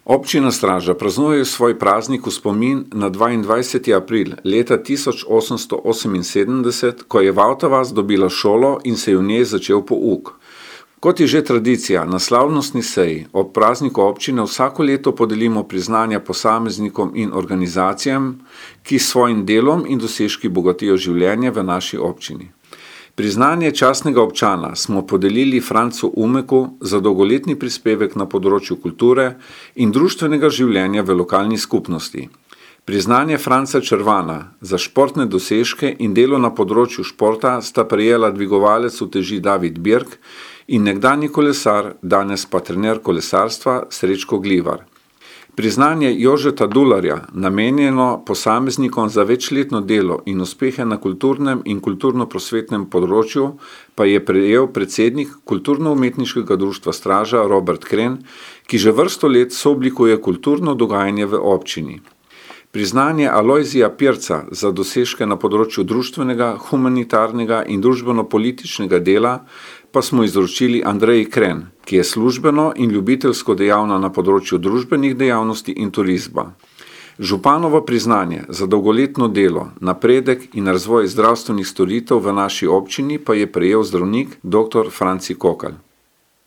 Občina Straža praznuje svoj praznik v spomin na 22. april leta 1878, ko je Vavta-vas dobila šolo in se je v njej začel pouk. Kot je že tradicija, na slavnostni seji ob prazniku občine vsako leto podelimo priznanja posameznikom in organizacijam, ki s svojim delom in dosežki bogatijo življenje v naši občini. Priznanje častnega občana smo podelili Francu Umeku za dolgoletni prispevek na področju kulture in društvenega življenja v lokalni skupnosti. Priznanje Franca Červana za športne dosežke in delo na področju športa sta prejela dvigovalec uteži David Birk in nekdanji kolesar, danes pa trener kolesarstva Srečko Glivar. Priznanje Jožeta Dularja, namenjeno posameznikom za večletno delo in uspehe na kulturnem in kulturno-prosvetnem področju, pa je prejel predsednik Kulturno-umetniškega društva Straža Robert Kren, ki že vrsto let sooblikuje kulturno dogajanje v občini. Priznanje Alojzija Pirca za dosežke na področju društvenega, humanitarnega in družbeno-političnega dela pa smo izročili Andreji Kren, ki je službeno in ljubiteljsko dejavna na področju družbenih dejavnosti in turizma. Županovo priznanje za dolgoletno delo, napredek in razvoj zdravstvenih storitev v naši občini pa je prejel zdravnik dr. Franci Kokalj.